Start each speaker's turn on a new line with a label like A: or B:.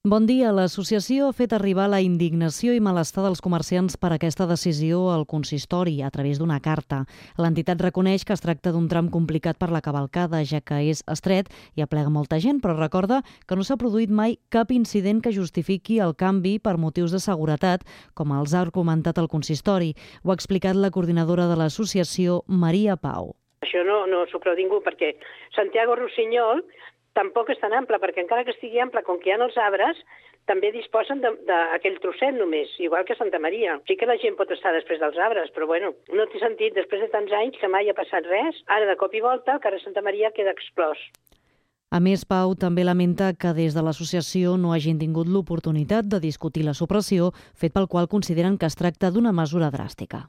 A: Bon dia. L'associació ha fet arribar la indignació i malestar dels comerciants per aquesta decisió al consistori a través d'una carta. L'entitat reconeix que es tracta d'un tram complicat per la cavalcada, ja que és estret i aplega molta gent, però recorda que no s'ha produït mai cap incident que justifiqui el canvi per motius de seguretat, com els ha argumentat el consistori. Ho ha explicat la coordinadora de l'associació, Maria Pau.
B: Això no s'ho creu ningú, perquè Santiago Rossinyol tampoc és tan ample, perquè encara que estigui ample, com que hi ha els arbres, també disposen d'aquell trosset només, igual que Santa Maria. Sí que la gent pot estar després dels arbres, però bueno, no té sentit, després de tants anys que mai ha passat res, ara de cop i volta el carrer Santa Maria queda exclòs.
A: A més, Pau també lamenta que des de l'associació no hagin tingut l'oportunitat de discutir la supressió, fet pel qual consideren que es tracta d'una mesura dràstica.